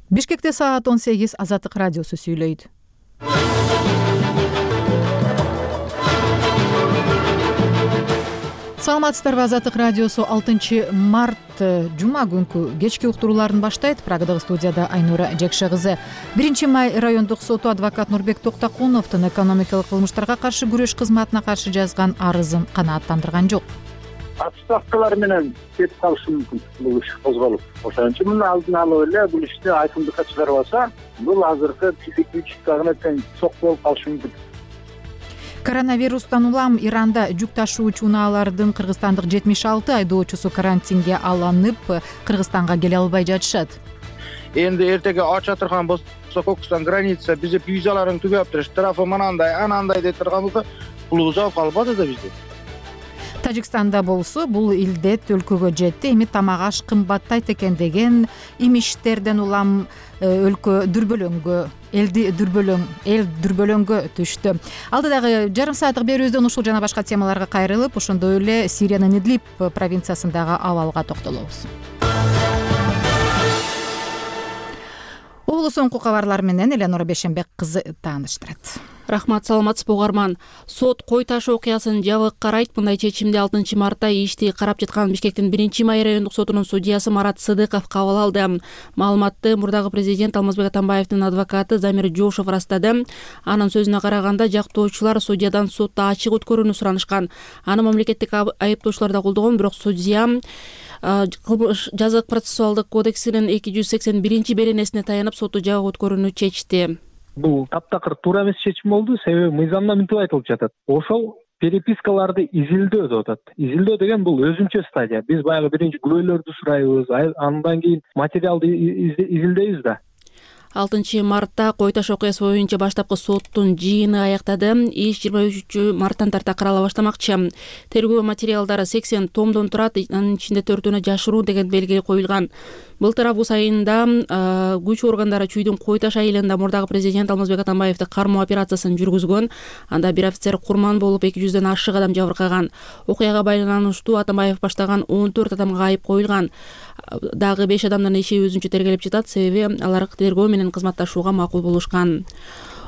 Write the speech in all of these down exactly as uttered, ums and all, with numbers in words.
Бишкекте саат он сегиз. Азаттык радиосу сүйлөйт. Саламатсыздарбы? Азаттык радиосу алтынчы март жума күнкү кечки уктурууларын баштайт. Прагадагы студияда Айнура Жекше кызы. биринчи май райондук соту адвокат Нурбек Токтокуновдун экономикалык кылмыштарга каршы күрөш кызматына каршы жазган арызын канааттандырган жок. Ставкалар менен кетип калышы мүмкүн бул иш козголуп. Ошон үчүн муну алдын алып эле бул ишти айкындыкка чыгарып алса, бул азыркы психический тең сок болуп калышы мүмкүн. Коронавирустан улам Иранда жүк ташуучу унаалардын кыргызстандык жетимиш алты айдоочусу карантинге алынып, Кыргызстанга келе албай жатышат. Энди эртеге ача турган болсо Кокустан граница бизи визаларын түгөптүр, штрафы манандай, анандай деп турганбызда пулубуз алып калбады да бизди. Тажикстанда болсо бул илдет өлкөгө жетти. Эми тамак аш кымбаттайт экен деген имиштерден улам өлкө дүрбөлөңгө, элди дүрбөлөң, эл дүрбөлөңгө түштү. Алдыдагы жарым сааттык берүүбүздөн ушул жана башка темаларга кайрылып, ошондой эле Сириянын Идлиб провинциясындагы абалга токтолобуз. Улуу соңку кабарлар менен Эленора Бешенбек кызы тааныштырат. Рахмат, саламатсызбы угарман. Сот кой таш окуясын жабык карайт. Мындай чечимди алтынчы мартта ишти карап жаткан Бишкектин биринчи май райондук сотунун судьясы Марат Сыдыков кабыл алды. Маалыматты мурдагы президент Алмазбек Атамбаевдин адвокаты Замир Жошов ырастады. Анын сөзүнө караганда, жактоочулар судьядан сотто ачык өткөрүүнү суранышкан. Аны мамлекеттик айыптоочулар да колдогон, бирок судья жазык процессуалдык кодексинин эки жүз сексен биринчи беренесине таянып сотту жабык өткөрүүнү чечти. Бул таптакыр туура эмес чечим болду, себеби мыйзамда мынтип айтылып жатат. Ошол перепискаларды изилдөө деп атат. Изилдөө деген бул өзүнчө стадия. Биз баягы биринчи күбөлөрдү сурайбыз, андан кийин материалды изилдейбиз да. алтынчы мартта кой таш окуясы боюнча баштапкы соттун жыйыны аяктады. Иш жыйырма үчүнчү марттан тарта карала баштамакчы. Тергөө материалдары сексен томдон турат, анын ичинде төртөөнө жашыруу деген белги коюлган. Былтыр август айында күч органдары Чүйдүн кой таш айылында мурдагы президент Алмазбек Атамбаевди кармоо операциясын жүргүзгөн. Анда бир офицер курман болуп эки жүздөн ашык адам жабыркаган. Окуяга байланыштуу Атамбаев баштаган он төрт адамга айып коюлган. Дагы беш адамдын иши өзүнчө тергелеп жатат, себеби алар тергөө менен кызматташууга макул болушкан.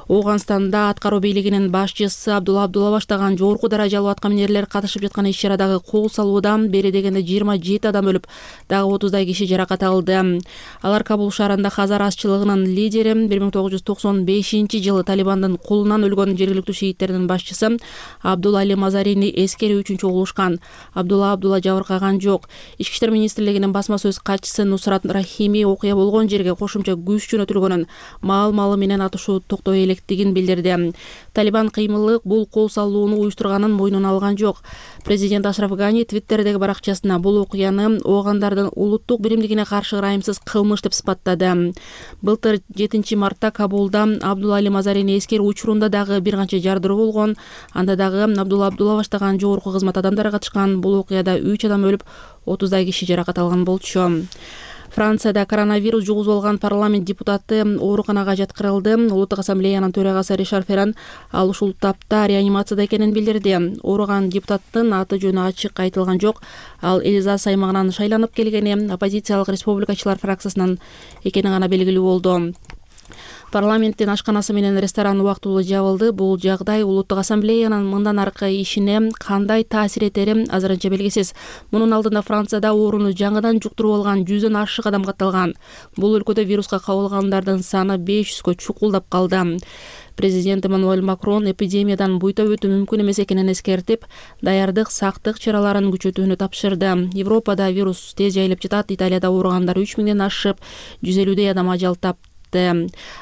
Ооганстанда аткаруу бийлигинин башчысы Абдулла Абдулла баштаган жогорку даражалуу аткаминерлер катышып жаткан иш-чарадагы кол салуудан бери дегенде жыйырма жети адам өлүп, дагы отуздай киши жаракат алды. Алар Кабул шаарында Хазар азчылыгынын лидери, бир миң тогуз жүз токсон бешинчи жылы Талибандын колунан өлгөн жергиликтүү шииттердин башчысы Абдулла Али Мазарини эскерүү үчүн чогулушкан. Абдулла Абдулла жабыркаган жок. Ички иштер министрлигинин басма сөз катчысы Нусрат Рахими окуя болгон жерге кошумча күч жөнөтүлгөнүн, маал-малы менен атышуу токтой элек тигин билдирди. Талибан кыймылы бул кол салууну уюштурганын мойнуна алган жок. Президент Ашраф Гани Твиттердеги баракчасына бул окуяны оогандардын улуттук биримдигине каршы ырайымсыз кылмыш деп сыпаттады. Былтыр жетинчи мартта Кабулда Абдулла Али Мазарини эскерүү учурунда дагы бир канча жардыруу болгон. Анда дагы Абдулла Абдулла баштаган жогорку кызмат адамдары катышкан. Бул окуяда үч адам өлүп, отуздай киши жаракат алган болчу. Францияда коронавирус жугузуп алган парламент депутаты ооруканага жаткырылды. Улуттук ассамблеянын төрагасы Ришар Ферран ал ушул тапта реанимацияда экенин билдирди. Ооруган депутаттын аты жөнү ачык айтылган жок. Ал Эльзас аймагынан шайланып келгени оппозициялык республикачылар фракциясынан экени гана белгилүү болду. Парламенттин ашканасы менен ресторан убактылуу жабылды. Бул жагдай Улуттук ассамблеянын мындан аркы ишине кандай таасир этери азырынча белгисиз. Мунун алдында Францияда ооруну жаңыдан жуктуруп алган жүздөн ашык адам катталган. Бул өлкөдө вируска кабылгандардын саны беш жүзгө чукулдап калды. Президент Эммануэль Макрон эпидемиядан буйта өтүү мүмкүн эмес экенин эскертип, даярдык, сактык чараларын күчөтүүнү тапшырды. Европада вирус тез жайылып жатат. Италияда ооругандар үч миңден ашып, жүз элүүдөй адам ажал тапты.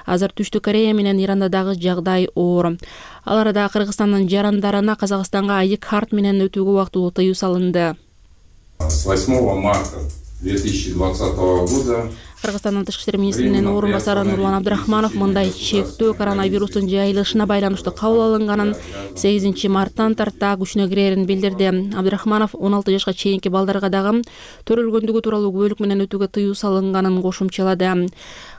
Азыр Түштүк Корея менен Иранда дагы жагдай оор. Ал арада Кыргызстандын жарандарына Казакстанга айы карт менен өтүүгө убактылуу тыюу салынды. С восьмого марта две тысячи двадцатого года Кыргызстандын тышкы иштер министринин орун басары Нурлан Абдрахманов мындай чектөө коронавирустун жайылышына байланыштуу кабыл алынганын сегизинчи марттан тарта күчүнө кирерин билдирди. Абдрахманов он алты жашка чейинки балдарга дагы төрөлгөндүгү тууралуу күбөлүк менен өтүүгө тыюу салынганын кошумчалады.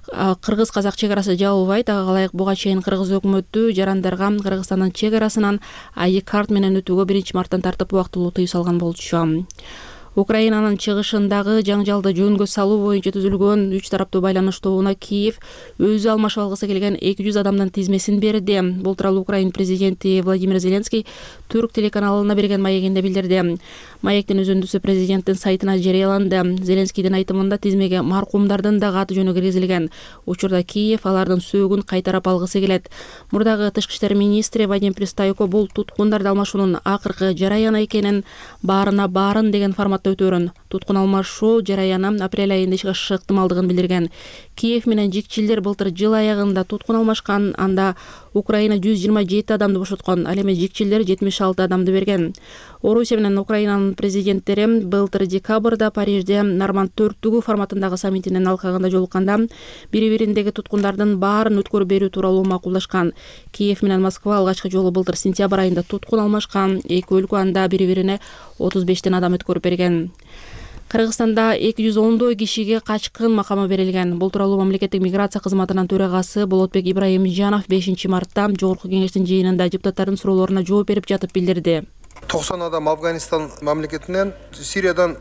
Кыргыз-казак чек арасы жабылбайт. Ага ылайык буга чейин кыргыз өкмөтү жарандарга Кыргызстандын чек арасынан айы карт менен өтүүгө биринчи марттан тартып убактылуу тыюу салган болчу. Украинанын чыгышындагы жаңжалды жөнгө салуу боюнча түзүлгөн үч тараптуу байланыш тобуна Киев өзү алмашып алгысы келген эки жүз адамдын тизмесин берди. Бул тууралуу Украина президенти Владимир Зеленский түрк телеканалына берген маегинде билдирди. Маектин үзүндүсү президенттин сайтына жарыяланды. Зеленскийдин айтымында тизмеге маркумдардын дагы аты жөнү киргизилген. Учурда Киев алардын сөөгүн кайтарып алгысы келет. Мурдагы тышкы иштер министри Вадим Пристайко бул туткундарды алмашуунун акыркы жараяны экенин, баарына баарын деген форматта өтөөрүн. Туткун алмашуу жараяны апрель айында ишке ашышы ыктымалдыгын билдирген. Киев менен жикчилдер былтыр жыл аягында туткун алмашкан, анда Украина жүз жыйырма жети адамды бошоткон, ал эми жикчилдер жетимиш алты адамды берген. Орусия менен Украинанын президенттери былтыр декабрда Парижде Норманд төрттүгү форматындагы саммитинин алкагында жолукканда бири-бириндеги туткундардын баарын өткөрүп берүү тууралуу макулдашкан. Киев менен Москва алгачкы жолу былтыр сентябрь айында туткун алмашкан. Эки өлкө анда бири-бирине отуз бештен адам өткөрүп берген. Кыргызстанда эки жүз ондой кишиге качкын макамы берилген. Бул тууралуу мамлекеттик миграция кызматынын төрагасы Болотбек Ибраимжанов бешинчи мартта жогорку кеңештин жыйынында депутаттардын суроолоруна жооп берип жатып билдирди. токсон адам Афганистан мамлекетинен, Сириядан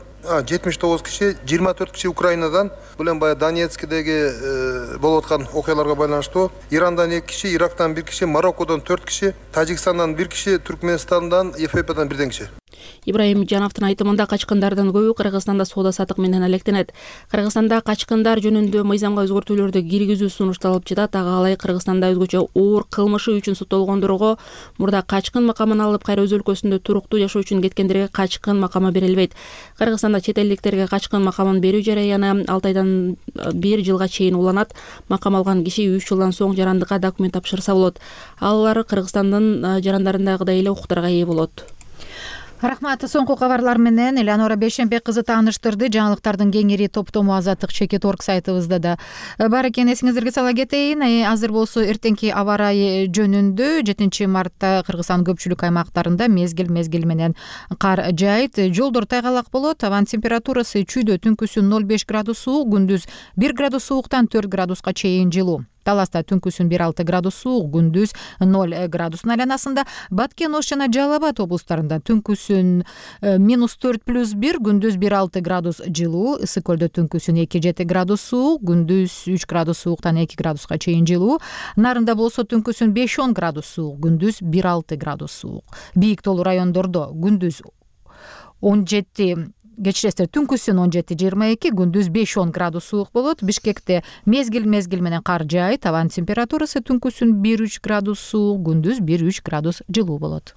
жетимиш тогуз киши, жыйырма төрт киши Украинадан, бул эми баягы Донецкдеги болуп аткан окуяларга байланыштуу Ирандан эки киши, Ирактан бир киши, Мароккодон төрт киши, Тажикстандан бир киши, Түркменистандан, Эфиопиядан бирден киши. Ибраимжановдун айтымында качкындардын көбү Кыргызстанда соода сатык менен алектенет. Кыргызстанда качкындар жөнүндө мыйзамга өзгөртүүлөрдү киргизүү сунушталып жатат. Ага алай Кыргызстанда өзгөчө оор кылмышы үчүн соттолгондорго мурда качкын макамын алып кайра өз өлкөсүндө туруктуу жашоо үчүн кеткендерге качкын макамы берилбейт. Кыргызстанда чет элдиктерге качкын макамын берүү жараяны алты айдан бир жылга чейин уланат. Макам алган киши үч жылдан соң жарандыкка документ тапшырса болот. Алар Кыргызстандын жарандарындагыдай эле укуктарга ээ болот. Рахмат. Соңку кабарлар менен Элеонора Бейшенбек кызы тааныштырды. Жаңылыктардын кеңири топтому Азаттык чекит орг сайтыбызда да бар экен. Эсиңиздерге сала кетейин. Азыр болсо эртеңки аба ырайы жөнүндө жетинчи мартта Кыргызстандын көпчүлүк аймактарында мезгил мезгил менен кар жаайт. Жолдор тайгалак болот. Абанын температурасы чүйдө түнкүсүн ноль беш градус суук, күндүз бир градус сууктан төрт градуска чейин жылуу. Таласта түнкүсүн бир алты градус суук, күндүз ноль градустун айланасында. Баткен, Ош жана Жалал Абад облустарында түнкүсүн минус төрт плюс бир, күндүз бир алты градус жылуу. Ысык көлдө түнкүсүн эки жети градус суук, күндүз үч градус сууктан эки градуска чейин жылуу. Нарында болсо түнкүсүн беш он градус суук, күндүз бир алты градус суук. Бийик тоолуу райондордо күндүз он жети Кечиресиздер, түнкүсүн он жети жыйырма эки, күндүз беш он градус суук болот. Бишкекте мезгил мезгил менен кар жаайт. Абанын температурасы түнкүсүн бир үч градус суук, күндүз бир үч градус жылуу болот.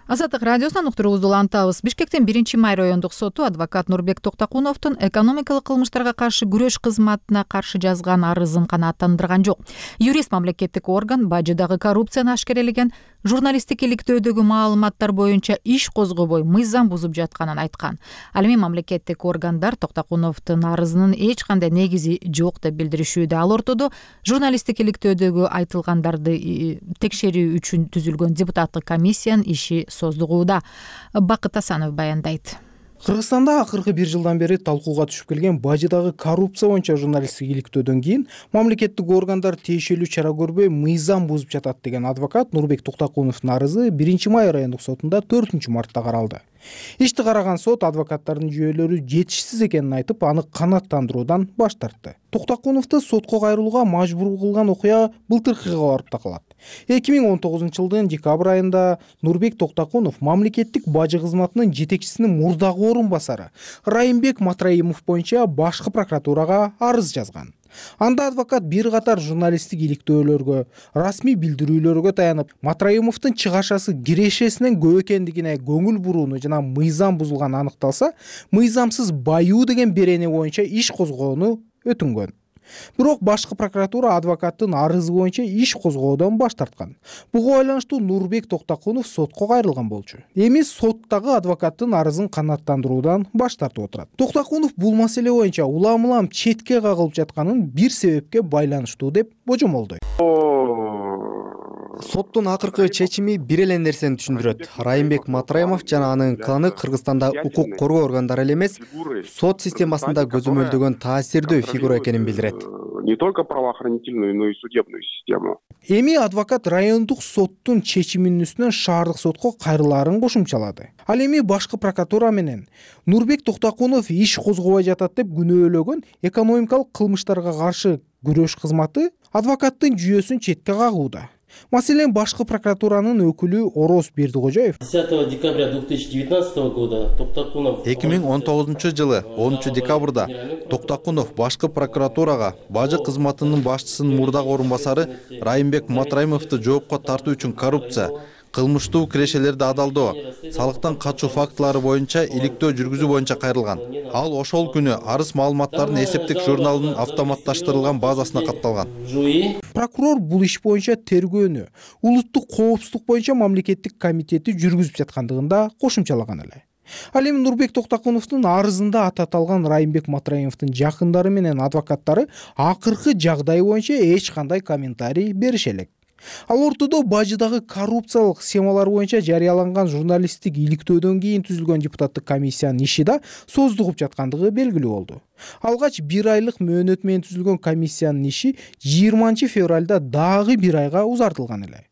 Азаттык радиосунан уктуруубузду улантабыз. Бишкектин биринчи май райондук соту адвокат Нурбек Токтокуновдун экономикалык кылмыштарга каршы күрөш кызматына каршы жазган арызын канааттандырган жок. Юрист мамлекеттик орган бажыдагы коррупцияны ашкерелеген журналисттик иликтөөдөгү маалыматтар боюнча иш козгобой мыйзам бузуп жатканын айткан. Ал эми мамлекеттик органдар Токтокуновдун арызынын эч кандай негизи жок деп билдиришүүдө. Ал ортодо журналисттик иликтөөдөгү айтылгандарды текшерүү үчүн түзүлгөн депутаттык комиссиянын иши создугууда. Бакыт Асанов баяндайт. Кыргызстанда акыркы бир жылдан бери талкууга түшүп келген бажыдагы коррупция боюнча журналисттик иликтөөдөн кийин мамлекеттик органдар тиешелүү чара көрбөй мыйзам бузуп жатат деген адвокат Нурбек Токтокуновдун арызы биринчи май райондук сотунда төртүнчү мартта каралды. Ишти караган сот адвокаттардын жүйөлөрү жетишсиз экенин айтып, аны канааттандыруудан баш тартты. Токтокуновду сотко кайрылууга мажбур кылган окуя былтыркыга барып такалат. эки миң он тогузунчу жылдын декабрь айында Нурбек Токтокунов мамлекеттик бажы кызматынын жетекчисинин мурдагы орун басары Райымбек Матраимов боюнча башкы прокуратурага арыз жазган. Анда адвокат бир катар журналисттик иликтөөлөргө, расмий билдирүүлөргө таянып, Матраимовдун чыгашасы кирешесинен көп экендигине көңүл бурууну жана мыйзам бузулганы аныкталса, мыйзамсыз баюу деген берени боюнча иш козгоону өтүнгөн. Бирок башкы прокуратура адвокаттын арызы боюнча иш козгоодон баш тарткан. Буга байланыштуу Нурбек Токтокунов сотко кайрылган болчу. Эми соттагы адвокаттын арызын канааттандыруудан баш тартып отурат. Токтокунов бул маселе боюнча улам-улам четке кагылып жатканын бир себепке байланыштуу деп божомолдойт. Соттун акыркы чечими бир эле нерсени түшүндүрөт. Райымбек Матраимов жана анын кланы Кыргызстанда укук коргоо органдары эле эмес, сот системасында көзөмөлдөгөн таасирдүү фигура экенин билдирет. не только правоохранительную, но и судебную систему. Эми адвокат райондук соттун чечиминин үстүнөн шаардык сотко кайрылаарын кошумчалады. Ал эми башкы прокуратура менен Нурбек Токтокунов иш козгобой жатат деп күнөөлөгөн экономикалык кылмыштарга каршы күрөш кызматы адвокаттын жүйөсүн четке кагууда. Маселен, башкы прокуратуранын өкүлү Ороз Бердикожоев десятого декабря две тысячи девятнадцатого года Токтокунов эки миң он тогузунчу жылы онунчу декабрда Токтокунов башкы прокуратурага бажы кызматынын башчысынын мурдагы орун басары Райымбек Матраимовду жоопко тартуу үчүн коррупция, кылмыштуу кирешелерди адалдоо, салыктан качуу фактылары боюнча иликтөө жүргүзүү боюнча кайрылган. Ал ошол күнү арыз маалыматтардын эсептик журналынын автоматташтырылган базасына катталган. Прокурор бул иш боюнча тергөөнү улуттук коопсуздук боюнча мамлекеттик комитети жүргүзүп жаткандыгын да кошумчалаган эле. Ал эми Нурбек Токтокуновдун арызында аты аталган Райымбек Матраимовдун жакындары менен адвокаттары акыркы жагдай боюнча эч кандай комментарий берише элек. Ал ортодо бажыдагы коррупциялык схемалар боюнча жарыяланган журналисттик иликтөөдөн кийин түзүлгөн депутаттык комиссиянын иши да создугуп жаткандыгы белгилүү болду. Алгач бир айлык мөөнөт менен түзүлгөн комиссиянын иши жыйырманчы февралда дагы бир айга узартылган эле.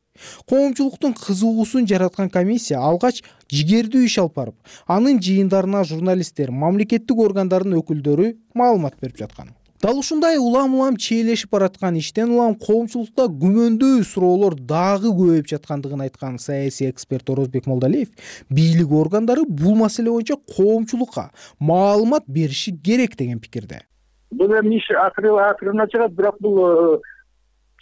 Коомчулуктун кызыгуусун жараткан комиссия алгач жигердүү иш алып барып, анын жыйындарына журналисттер, мамлекеттик органдардын өкүлдөрү маалымат берип жаткан. Дал ушундай улам-улам чийлешип бараткан иштен улам коомчулукта күмөндүү суроолор дагы көбөйүп жаткандыгын айткан саясий эксперт Орозбек Молдалиев бийлик органдары бул маселе боюнча коомчулукка маалымат бериши керек деген пикирде. Бул эми иш акырына чыгат, бирок бул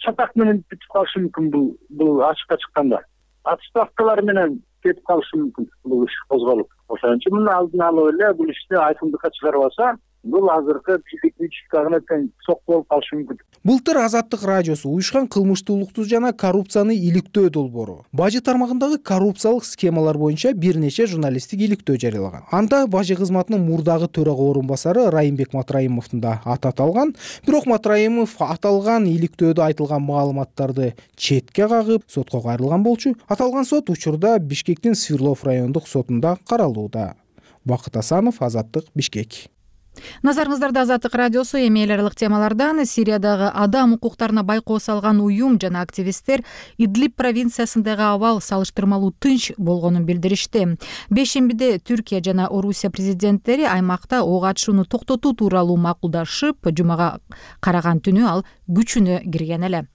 чатак менен бүтүп калышы мүмкүн, бул бул ачыкка чыкканда. Отставкалар менен кетип калышы мүмкүн бул иш козголуп. Ошон үчүн муну алдын алып эле бул ишти айкындыкка чыгарып алса, бул азыркы бийлик үчкагына тең сок болуп калышы мүмкүн. Былтыр Азаттык радиосу уюшкан кылмыштуулукту жана коррупцияны иликтөө долбоору бажы тармагындагы коррупциялык схемалар боюнча бир нече журналисттик иликтөө жарыялаган. Анда бажы кызматынын мурдагы төрага орун басары Райымбек Матраимовдун да аты аталган, бирок Матраимов аталган иликтөөдө айтылган маалыматтарды четке кагып, сотко кайрылган болчу. Аталган сот учурда Бишкектин Свердлов райондук сотунда каралууда. Бакыт Асанов, Азаттык, Бишкек. Назарыңыздарда Азаттык радиосу. Эми эл аралык темалардан Сириядагы адам укуктарына байкоо салган уюм жана активисттер Идлиб провинциясындагы абал салыштырмалуу тынч болгонун билдиришти. Бешембиде Түркия жана Орусия президенттери аймакта ок атышууну токтотуу тууралуу макулдашып, жумага караган түнү ал күчүнө кирген эле.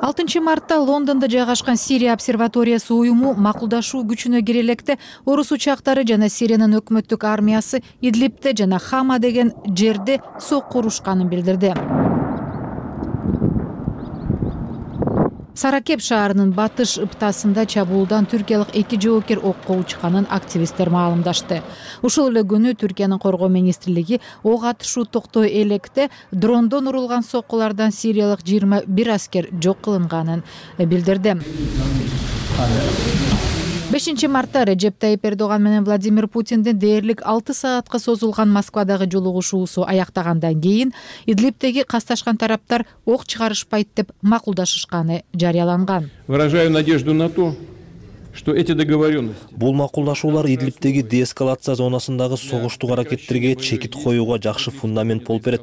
алтынчы мартта Лондондо жайгашкан Сирия обсерваториясы уюму макулдашуу күчүнө кире электе орус учактары жана Сириянын өкмөттүк армиясы Идлибте жана Хама деген жерде сокку урушканын билдирди. Саракеп шаарынын батыш ыптасында чабуулдан түркиялык эки жоокер окко учканын активисттер маалымдашты. Ушул эле күнү Түркиянын коргоо министрлиги ок атышуу токтой электе дрондон урулган соккулардан сириялык жыйырма бир аскер жок кылынганын билдирди. бешинчи мартта Режеп Тайип Эрдоган менен Владимир Путиндин дээрлик алты саатка созулган Москвадагы жолугушуусу аяктагандан кийин Идлибтеги касташкан тараптар ок чыгарышпайт деп макулдашышканы жарыяланган. Выражаю надежду на то, что эти договоренности. Бул макулдашуулар Идлибтеги деэскалация зонасындагы согуштук аракеттерге чекит коюуга жакшы фундамент болуп берет.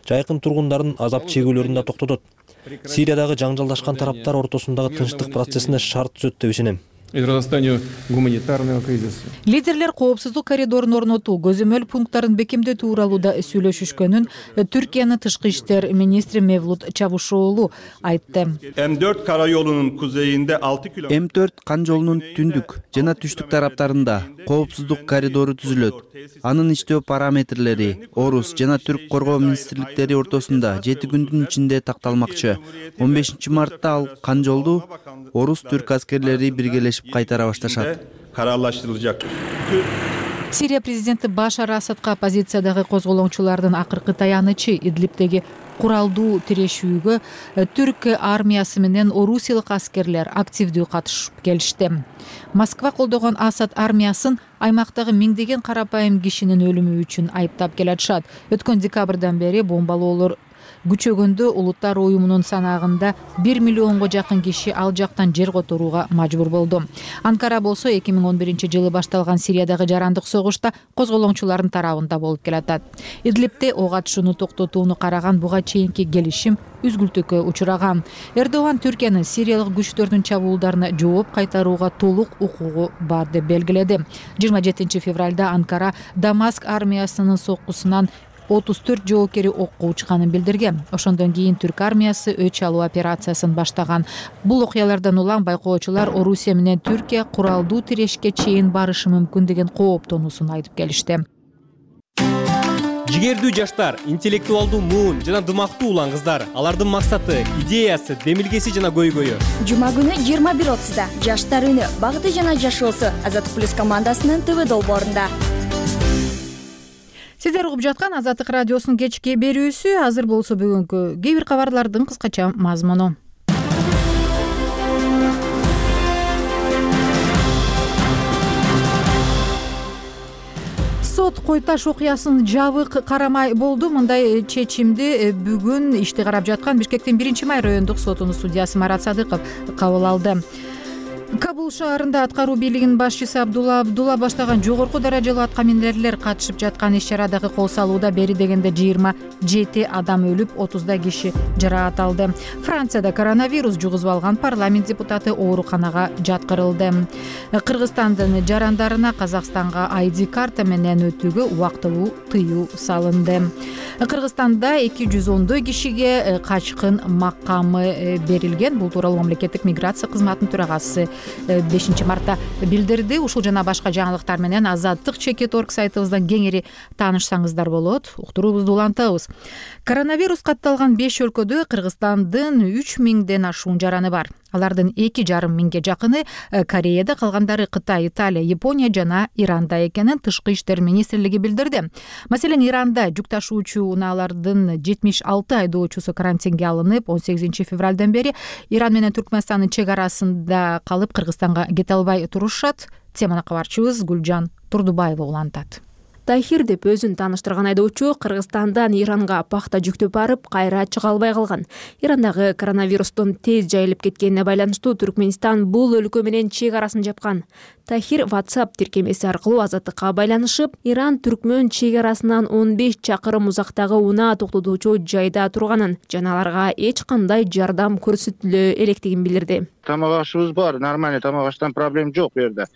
Жайкын тургундардын азап чегүүлөрүн да токтотот. Сириядагы жаңжалдашкан тараптар ортосундагы тынчтык процессине шарт түзөт деп ишенем. Гуманитарного кризиса. Лидерлер коопсуздук коридорун орнотуу, көзөмөл пункттарын бекемдөө тууралуу да сүйлөшүшкөнүн Түркиянын тышкы иштер министри Мевлут Чавушоğlu айтты. М төрт карayolunun kuzeyinde altı kilometre М төрт кан жолунун түндүк жана түштүк тараптарында коопсуздук коридору түзүлөт. Анын иштөө параметрлери орус жана түрк коргоо министрликтери ортосунда жети күндүн ичинде такталмакчы. он бешинчи мартта ал кан жолду орус түрк аскерлери биргелешип кайтара башташат. Kararlaştırılacak. Сирия президенти Башар Асадка оппозициядагы козголоңчулардын акыркы таянычы Идлибтеги куралдуу тирешүүгө түрк армиясы менен орусиялык аскерлер активдүү катышып келишти. Москва колдогон Асад армиясын аймактагы миңдеген карапайым кишинин өлүмү үчүн айыптап келатышат. Өткөн декабрдан бери бомбалоолор күчөгөндө улуттар уюмунун санагында бир миллионго жакын киши ал жактан жер которууга мажбур болду. Анкара болсо эки миң он биринчи жылы башталган Сириядагы жарандык согушта козголоңчулардын тарабында болуп келатат. Идлибте ок атышууну токтотууну караган буга чейинки келишим үзгүлтүккө учураган. Эрдоган Түркиянын Сириялык күчтөрдүн чабуулдарына жооп кайтарууга толук укугу бар деп белгиледи. жыйырма жетинчи февралда Анкара Дамаск армиясынын соккусунан отуз төрт жоокери окко учканын билдирген. Ошондон кийин түрк армиясы өч алуу операциясын баштаган. Бул окуялардан улам байкоочулар Орусия менен Түркия куралдуу тирешке чейин барышы мүмкүн деген кооптонуусун айтып келишти. Жигердүү жаштар, интеллектуалдуу муун жана дымактуу улан кыздар. Алардын максаты, идеясы, демилгеси жана көйгөйү. Жума күнү жыйырма бир отузда Жаштар үнү, багыты жана жашоосу Азаттык плюс командасынын ТВ долбоорунда. Сиздер угуп жаткан Азаттык радиосунун кечки берүүсү. Азыр болсо бүгүнкү кээ бир кабарлардын кыскача мазмуну. Сот Кой Таш окуясын жабык карамай болду. Мындай чечимди бүгүн ишти карап жаткан Бишкектин биринчи май райондук сотунун судьясы Марат Садыков кабыл алды. Кабул шаарында аткаруу бийлигинин башчысы Абдулла Абдулла баштаган жогорку даражалуу аткаминерлер катышып жаткан иш-чарадагы кол салууда бери дегенде жыйырма жети адам өлүп, отуздай киши жараат алды. Францияда коронавирус жугузуп алган парламент депутаты ооруканага жаткырылды. Кыргызстандын жарандарына Казакстанга ай ди карта менен өтүүгө убактылуу тыюу салынды. Кыргызстанда эки жүз ондой кишиге качкын макамы берилген. Бул тууралуу мамлекеттик миграция кызматынын төрагасы бешинчи мартта билдирди. Ушул жана башка жаңылыктар менен Азаттык чекит орг сайтыбыздан кеңири таанышсаңыздар болот. Уктуруубузду улантабыз. Коронавирус катталган беш өлкөдө Кыргызстандын үч миңден ашуун жараны бар. Алардын эки жарым миңге жакыны Кореяда, калгандары Кытай, Италия, Япония жана Иранда экенин Тышкы иштер министрлиги билдирди. Маселен, Иранда жүк ташуучу унаалардын жетимиш алты айдоочусу карантинге алынып, он сегизинчи февралдан бери Иран менен Түркмөнстандын чек арасында калып Кыргызстанга кете албай турушат. Теманы кабарчыбыз Гүлжан Турдубаева улантат. Тахир деп өзүн тааныштырган айдоочу Кыргызстандан Иранга пахта жүктөп барып, кайра чыга албай калган. Ирандагы коронавирустун тез жайылып кеткенине байланыштуу Түркмөнстан бул өлкө менен чек арасын жапкан. Тахир WhatsApp тиркемеси аркылуу Азаттыкка байланышып, Иран Түркмөн чек арасынан он беш чакырым узактагы унаа токтотуучу жайда турганын жана аларга эч кандай жардам көрсөтүлө электигин билдирди. Тамак ашыбыз бар, нормально тамак аштан проблема жок бу жерде.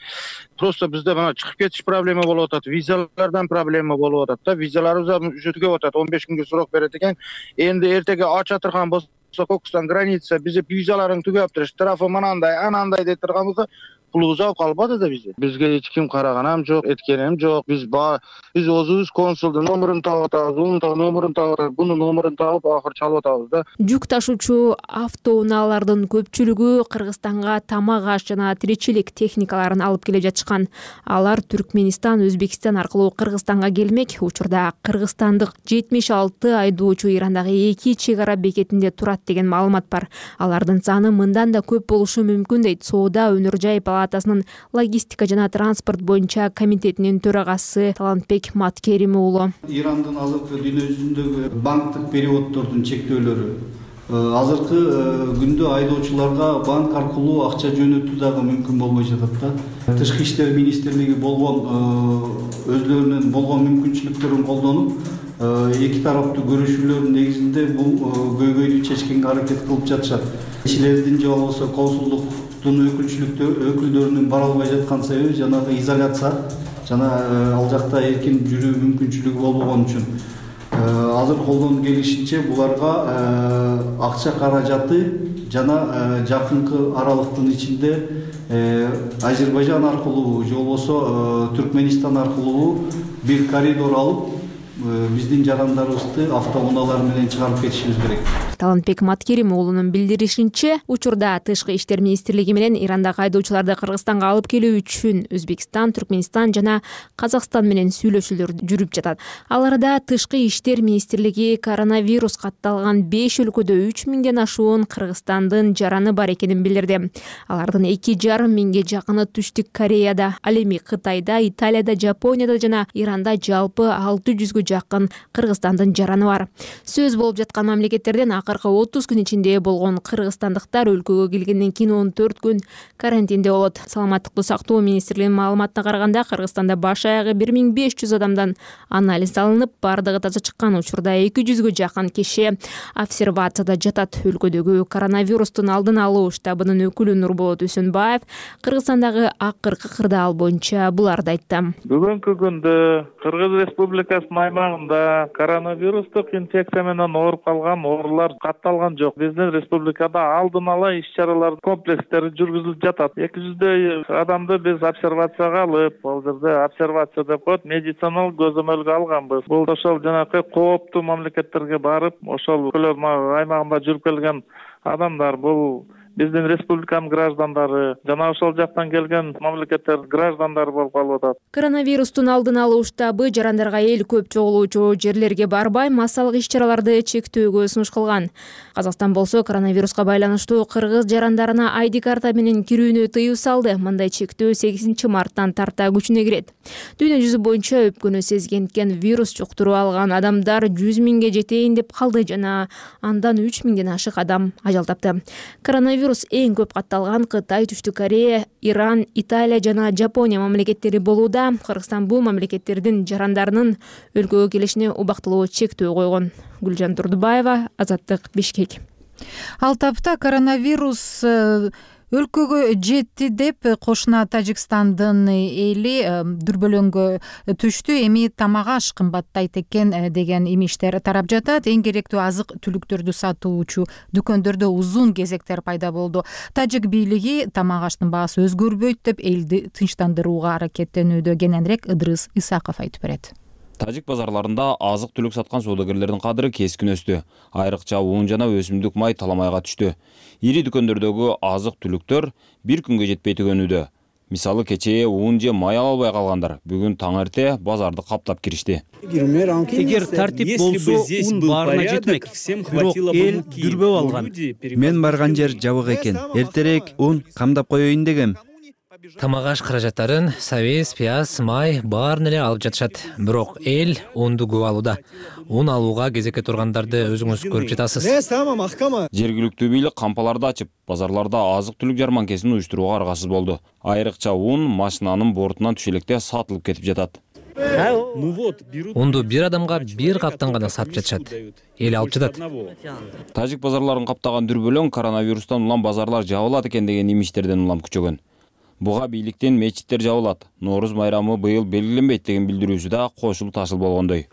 Просто бизде мына чыгып кетиш проблема болуп атат, визалардан проблема болуп атат да. Визаларыбыз уже түгөп атат, он беш күнгө срок берет экен. Энди эртеге ача турган болсо Кокустан граница бизе визаларың түгөптүр, штрафы манандай, анандай деп турганбызда пулубуз алып калбады да бизде. Бизге эч ким караган жок, эткенем жок. Биз ба биз өзүбүз консулдун номерин таап атабыз, унун номерин таап атабыз, бунун номерин таап акыры чалып атабыз да. Жүк ташуучу автоунаалардын көпчүлүгү Кыргызстанга тамак аш жана тиричилик техникаларын алып келе жатышкан. Алар Түркмөнстан, Өзбекстан аркылуу Кыргызстанга келмек. Учурда кыргызстандык жетимиш алты айдоочу Ирандагы эки чек ара бекетинде турат деген маалымат бар. Алардын саны мындан да көп болушу мүмкүн дейт Соода өнөр жай палатасынын логистика жана транспорт боюнча комитетинин төрагасы Талантбек Маткерим уулу. Ирандын азыркы дүйнө жүзүндөгү банктык переводдордун чектөөлөрү азыркы күндө айдоочуларга банк аркылуу акча жөнөтүү дагы мүмкүн болбой жатат да. Тышкы иштер министрлиги болгон өзлөрүнүн болгон мүмкүнчүлүктөрүн колдонуп эки тараптуу көрүшүүлөрдүн негизинде бул көйгөйдү чечкенге аракет кылып жатышат. Элчилердин же болбосо консулдуктун өкүлдөрүнүн бара албай жаткан себеби жанагы изоляция жана ал жакта эркин жүрүү мүмкүнчүлүгү болбогон үчүн. Азыр колдон келишинче буларга акча каражаты жана жакынкы аралыктын ичинде Азербайжан аркылуу же болбосо Түркмөнстан аркылуу бир коридор алып биздин жарандарыбызды автоунаалар менен чыгарып кетишибиз керек. Талантбек Маткерим уулунун билдиришинче, учурда Тышкы иштер министрлиги менен Ирандагы айдоочуларды Кыргызстанга алып келүү үчүн Өзбекстан, Түркмөнстан жана Казакстан менен сүйлөшүүлөр жүрүп жатат. Аларда Тышкы иштер министрлиги коронавирус катталган беш өлкөдө үч миңден ашуун Кыргызстандын жараны бар экенин билдирди. Алардын эки жарым миңге жакыны Түштүк Кореяда, ал эми Кытайда, Италияда, Жапонияда жана Иранда жалпы алты жүзгө жүзгө жакын Кыргызстандын жараны бар. Сөз болуп жаткан мамлекеттерден акыркы отуз күн ичинде болгон кыргызстандыктар өлкөгө келгенден кийин он төрт күн карантинде болот. Саламаттыкты сактоо министрлигинин маалыматына караганда Кыргызстанда баш аягы бир миң беш жүз адамдан анализ алынып, бардыгы таза чыккан учурда эки жүзгө жакын киши обсервацияда жатат. Өлкөдөгү коронавирустун алдын алуу штабынын өкүлү Нурболот Үсөнбаев Кыргызстандагы акыркы кырдаал боюнча буларды айтты. Бүгүнкү күндө Кыргыз Республикасынын аймагында коронавирустук инфекция менен ооруп калган оорулар катталган жок. Биздин республикада алдын ала иш-чаралар комплекстери жүргүзүлүп жатат. эки жүздөй адамды биз обсервацияга алып, ал жерде обсервация деп коет, медициналык көзөмөлгө алганбыз. Бул ошол жанакы кооптуу мамлекеттерге барып, ошол өлкөлөр аймагында жүрүп келген адамдар, бул биздин республиканын граждандары жана ошол жактан келген мамлекеттер граждандары болуп калып атат. Коронавирустун алдын алуу штабы жарандарга эл көп чогулуучу жерлерге барбай, массалык иш-чараларды чектөөгө сунуш кылган. Казакстан болсо коронавируска байланыштуу кыргыз жарандарына ай ди карта менен кирүүнү тыюу салды. Мындай чектөө сегизинчи марттан тарта күчүнө кирет. Дүйнө жүзү боюнча өпкөнү сезгенткен вирус жуктуруп алган адамдар жүз миңге жетейин деп калды жана андан үч миңден ашык адам ажал тапты. Коронавирус Вирус эң көп катталган Кытай, Түштүк Корея, Иран, Италия жана Жапония мамлекеттери болууда. Кыргызстан бул мамлекеттердин жарандарынын өлкөгө келишине убактылуу чектөө койгон. Гүлжан Турдубаева, Азаттык, Бишкек. Ал тапта коронавирус өлкөгө жетти деп кошуна Тажикстандын эли дүрбөлөңгө түштү. Эми тамак аш кымбаттайт экен деген имиштер тарап жатат. Эң керектүү азык түлүктөрдү сатуучу дүкөндөрдө узун кезектер пайда болду. Тажик бийлиги тамак аштын баасы өзгөрбөйт деп элди тынчтандырууга аракеттенүүдө. Кененирээк Ыдрыс Исаков айтып берет. Тажик базарларында азык-түлүк саткан соодагерлердин кадыры кескин өстү. Айрыкча уун жана өсүмдүк май таламайга түштү. Ири дүкөндөрдөгү азык-түлүктөр бир күнгө жетпей түгөнүүдө. Мисалы кечээ уун же май ала албай калгандар бүгүн таң эрте базарды каптап киришти. Эгер тартип болсо, уун баарына жетмек. Бирок эл дүрбөп алган. Мен барган жер жабык экен. Эртерээк уун камдап коеюн дегем. Тамак аш каражаттарын сабиз, пияз, май баарын эле алып жатышат. Бирок эл унду көп алууда. Ун алууга кезекке тургандарды өзүңүз көрүп жатасыз. Жергиликтүү бийлик кампаларды ачып, базарларда азык-түлүк жарманкесин уюштурууга аргасыз болду. Айрыкча ун машинанын бортунан түшө электе сатылып кетип жатат. Унду бир адамга бир каптан гана сатып жатышат. Эл алып жатат. Тажик базарларын каптаган дүрбөлөң коронавирустан улам базарлар жабылат экен деген имиштерден улам күчөгөн. Буга бийликтен мечиттер жабылат. Нооруз майрамы быйыл белгиленбейт деген билдирүүсү да кошулуп ташыл болгондой.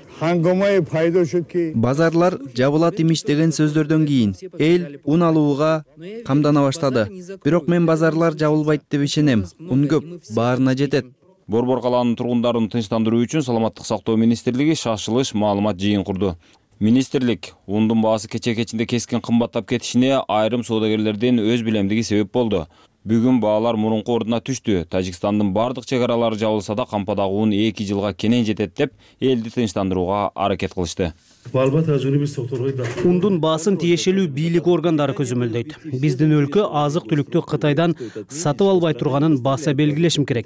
Базарлар жабылат имиш деген сөздөрдөн кийин эл ун алууга камдана баштады. Бирок мен базарлар жабылбайт деп ишенем. Ун көп, баарына жетет. Борбор калаанын тургундарын тынчтандыруу үчүн Саламаттык сактоо министрлиги шашылыш маалымат жыйын курду. Министрлик ундун баасы кече-кечинде кескин кымбаттап кетишине айрым соодагерлердин өз билемдиги себеп болду. Бүгүн баалар мурунку ордуна түштү. Тажикстандын бардык чек аралары жабылса да кампадагы ун эки жылга кенен жетет деп элди тынчтандырууга аракет кылышты. Ундун баасын тиешелүү бийлик органдары көзөмөлдөйт. Биздин өлкө азык-түлүктү Кытайдан сатып албай турганын баса белгилешим керек.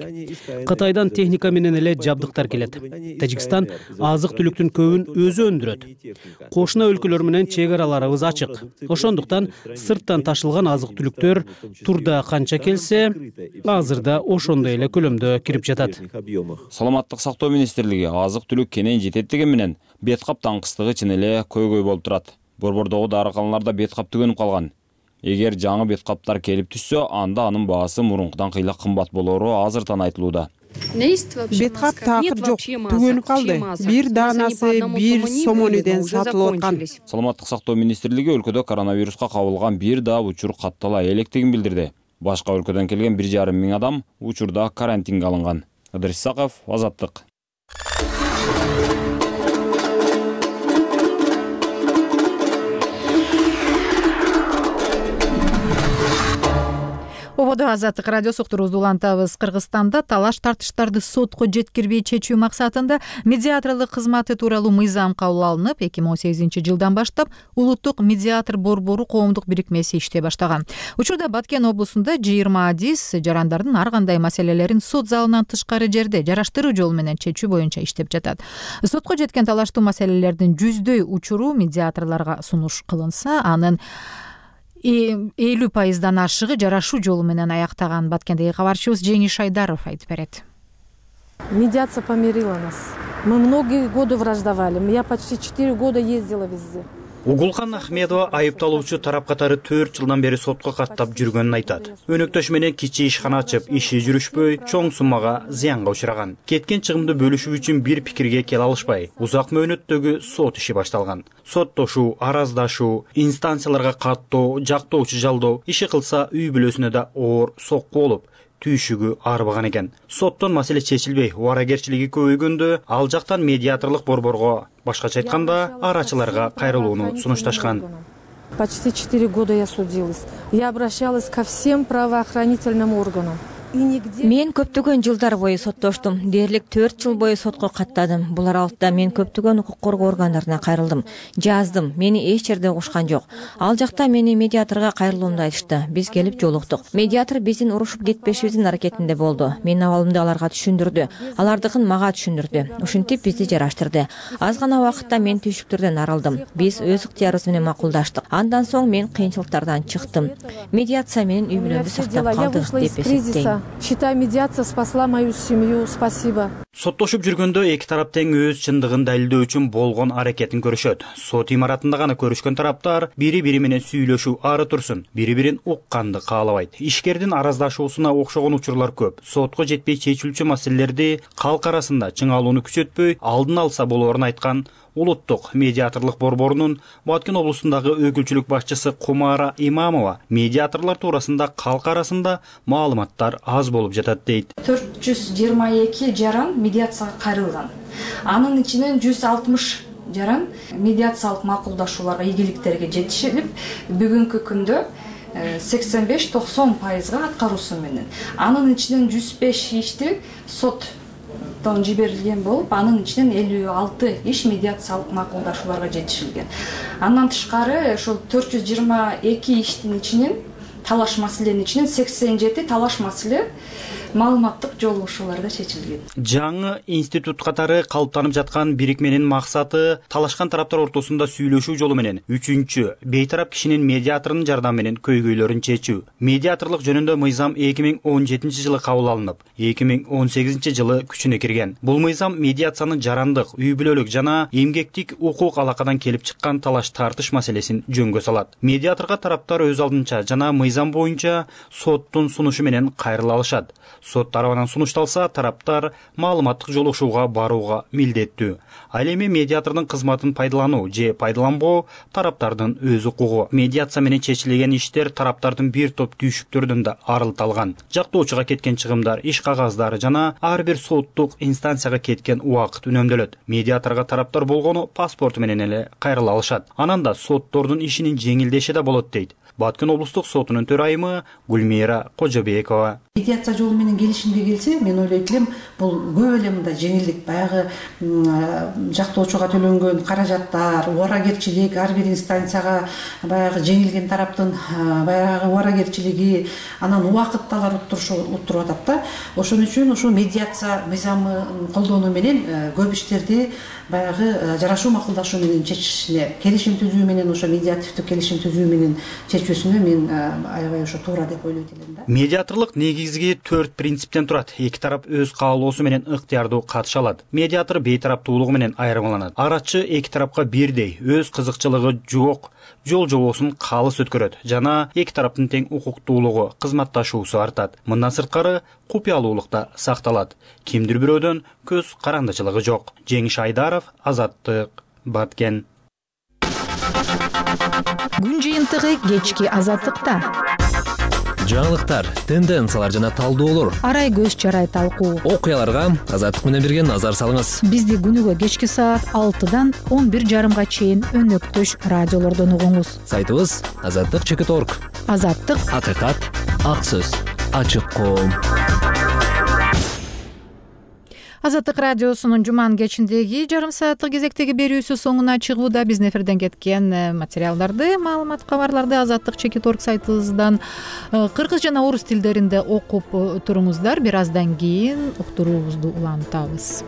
Кытайдан техника менен эле жабдыктар келет. Тажикстан азык-түлүктүн көбүн өзү өндүрөт. Кошуна өлкөлөр менен чек араларыбыз ачык. Ошондуктан сырттан ташылган азык-түлүктөр турда канча келсе, азырда ошондой эле көлөмдө кирип жатат. Саламаттык сактоо министрлиги азык-түлүк кенен жетет деген менен бет кап таңкыстыгы чын эле көйгөй болуп турат. Борбордогу дарыканаларда бет кап түгөнүп калган. Эгер жаңы бет каптар келип түшсө, анда анын баасы мурункудан кыйла кымбат болору азыртан айтылууда. Бет кап такыр жок, түгөнүп калды. Бир даанасы бир сомонеден сатылып аткан. Саламаттык сактоо министрлиги өлкөдө коронавируска кабылган бир да учур каттала электигин билдирди. Башка өлкөдөн келген бир жарым миң адам учурда карантинге алынган. Ыдрыс Исаков, Азаттык. жогоруда Азаттык радиосу уктуруубузду улантабыз. Кыргызстанда талаш тартыштарды сотко жеткирбей чечүү максатында медиаторлук кызматы тууралуу мыйзам кабыл алынып, эки миң он сегизинчи жылдан баштап улуттук медиатор борбору коомдук бирикмеси иштей баштаган. Учурда Баткен облусунда жыйырма адис жарандардын ар кандай маселелерин сот залынан тышкары жерде жараштыруу жолу менен чечүү боюнча иштеп жатат. Сотко жеткен талаштуу маселелердин жүздөй учуру медиаторлорго сунуш кылынса, анын элүү пайыздан ашыгы жарашуу жолу менен аяктаган. Баткендеги кабарчыбыз Жеңиш Айдаров айтып берет. Медиация помирила нас. Мы многие годы враждовали. Я почти четыре года ездила везде. Угулкан Ахмедова айыпталуучу тарап катары төрт жылдан бери сотко каттап жүргөнүн айтат. Өнөктөш менен кичи ишкана ачып, иши жүрүшпөй, чоң суммага зыянга учураган. Кеткен чыгымды бөлүшүү үчүн бир пикирге келе алышпай, узак мөөнөттөгү сот иши башталган. Соттошуу, араздашуу, инстанцияларга каттоо, жактоочу жалдоо иши кылса үй бүлөсүнө да оор сокку болуп, түйшүгү арбаган экен. Соттон маселе чечилбей, убарагерчилиги көбөйгөндө, ал жактан медиаторлук борборго, башкача айтканда, арачыларга кайрылууну сунушташкан. Почти четыре года я судилась. Я обращалась ко всем правоохранительным органам. Мен көптөгөн жылдар бою соттоштум. Дээрлик төрт жыл бою сотко каттадым. Бул аралыкта мен көптөгөн укук коргоо органдарына кайрылдым. Жаздым. Мени эч жерде угушкан жок. Ал жакта мени медиаторго кайрылуумду айтышты. Биз келип жолуктук. Медиатор биздин урушуп кетпешибиздин аракетинде болду. Менин абалымды аларга түшүндүрдү. Алардыкын мага түшүндүрдү. Ушинтип бизди жараштырды. Аз гана убакытта мен түйшүктөрдөн арылдым. Биз өз ыктыярыбыз менен макулдаштык. Андан соң мен кыйынчылыктардан чыктым. Медиация менин үй бүлөмдү сактап калды деп эсептейм. Считаю, медиация спасла мою семью. Спасибо. Соттошуп жүргөндө эки тарап тең өз чындыгын далилдөө үчүн болгон аракетин көрүшөт. Сот имаратында гана көрүшкөн тараптар бири-бири менен сүйлөшүү ары турсун, бири-бирин укканды каалабайт. Ишкердин араздашуусуна окшогон учурлар көп. Сотко жетпей чечилчү маселелерди калк арасында чыңалууну күчөтпөй алдын алса болоорун айткан Улуттук медиаторлук борборунун Баткен облусундагы өкүлчүлүк башчысы Кумара Имамова медиаторлор туурасында калк арасында маалыматтар аз болуп жатат дейт. төрт жүз жыйырма эки жаран медиацияга кайрылган. Анын ичинен жүз алтымыш жаран медиациялык макулдашууларга, ийгиликтерге жетишилип, бүгүнкү күндө сексен беш токсон пайызга аткаруусу менен. Анын ичинен жүз беш ишти сот жиберилген болуп, анын ичинен элүү алты иш медиациялык макулдашууларга жетишилген. Андан тышкары ошол төрт жүз жыйырма эки иштин ичинен талаш маселенин ичинен сексен жети талаш маселе маалыматтык жолугушууларда чечилген. Жаңы институт катары калыптанып жаткан бирикменин максаты талашкан тараптар ортосунда сүйлөшүү жолу менен үчүнчү бейтарап кишинин медиаторунун жардамы менен көйгөйлөрүн чечүү. Медиаторлук жөнүндө мыйзам эки миң он жетинчи жылы кабыл алынып, эки миң он сегизинчи жылы күчүнө кирген. Бул мыйзам медиациянын жарандык, үй бүлөлүк жана эмгектик укук алакадан келип чыккан талаш тартыш маселесин жөнгө салат. Медиаторго тараптар өз алдынча жана мыйзам боюнча соттун сунушу менен кайрыла алышат. Сот тарабынан сунушталса, тараптар маалыматтык жолугушууга барууга милдеттүү. Ал эми медиатордун кызматын пайдалануу же пайдаланбоо тараптардын өз укугу. Медиация менен чечилген иштер тараптардын бир топ түйшүктөрдөн да арылталган. Жактоочуга кеткен чыгымдар, иш кагаздары жана ар бир соттук инстанцияга кеткен убакыт үнөмдөлөт. Медиаторго тараптар болгону паспорту менен эле кайрыла алышат. Анан да соттордун ишинин жеңилдеши да болот дейт Баткен облустук сотунун төрайымы Гүлмира Кожобекова. Медиация жолу менен келишимге келсе, мен ойлойт элем, бул көп эле мындай жеңилдик, баягы жактоочуга төлөнгөн каражаттар, убарагерчилик, ар бир инстанцияга баягы жеңилген тараптын баягы убарагерчилиги, анан убакытталар уттуруп атат да. Ошон үчүн ушу медиация мыйзамын колдонуу менен көп иштерди баягы жарашуу макулдашуу менен чечишине, келишим түзүү менен, ошо медиативдик келишим түзүү менен чечүүсүнө мен аябай ошо туура деп ойлойт элем да. Медиаторлук негизги төрт принциптен турат. Эки тарап өз каалоосу менен ыктыярдуу катыша алат. Медиатор бейтараптуулугу менен айырмаланат. Арачы эки тарапка бирдей өз кызыкчылыгы жок жол жобосун калыс өткөрөт жана эки тараптын тең укуктуулугу, кызматташуусу артат. Мындан сырткары купуялуулук да сакталат. Кимдир бирөөдөн көз карандычылыгы жок. Жеңиш Айдаров, Азаттык, Баткен. Күн жыйынтыгы кечки Азаттыкта. Жаңылыктар, тенденциялар жана талдоолор. Арай көз чарай талкуу. Окуяларга Азаттык менен бирге назар салыңыз. Бизди күнүгө кечки саат алтыдан он бир жарымга чейин өнөктөш радиолордон угуңуз. Сайтыбыз азаттык чекит точка орг. Азаттык акыкат ак сөз. ачык коом. Азаттык радиосунун жуманын кечиндеги жарым сааттык кезектеги берүүсү соңуна чыгууда. Биздин эфирден кеткен материалдарды, маалымат, кабарларды азаттык чекит орг сайтыбыздан кыргыз жана орус тилдеринде окуп туруңуздар. Бир аздан кийин уктуруубузду улантабыз.